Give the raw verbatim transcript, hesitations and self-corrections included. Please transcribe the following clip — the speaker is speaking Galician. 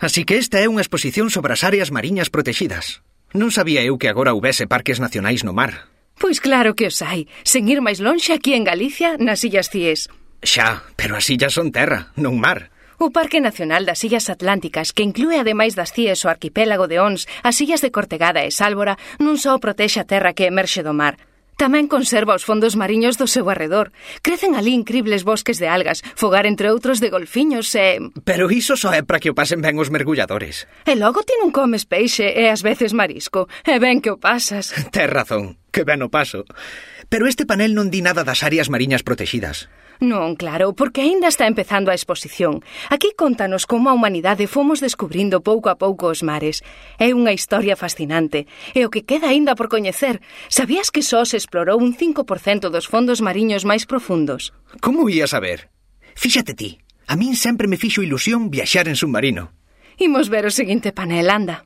Así que esta é unha exposición sobre as áreas mariñas protexidas. Non sabía eu que agora houbese parques nacionais no mar. Pois claro que os hai. Sen ir máis lonxe aquí en Galicia, nas Illas Cíes. Xa, pero as illas son terra, non mar. O Parque Nacional das Illas Atlánticas, que inclúe ademais das Cíes o arquipélago de Ons, as illas de Cortegada e Sálvora, non só protexe a terra que emerxe do mar. Tamén conserva os fondos mariños do seu arredor. Crecen ali incribles bosques de algas, fogar entre outros de golfiños e... Pero iso só é para que o pasen ben os mergulladores. E logo ti non comes peixe e ás veces marisco. E ben que o pasas. Tes razón, que ben o paso. Pero este panel non di nada das áreas mariñas protexidas. Non, claro, porque aínda está empezando a exposición. Aquí contanos como a humanidade fomos descubrindo pouco a pouco os mares. É unha historia fascinante. E o que queda aínda por coñecer. Sabías que só se explorou un cinco por cento dos fondos mariños máis profundos? Como ia saber? Fíxate ti, a min sempre me fixo ilusión viaxar en submarino. Imos ver o seguinte panel, anda.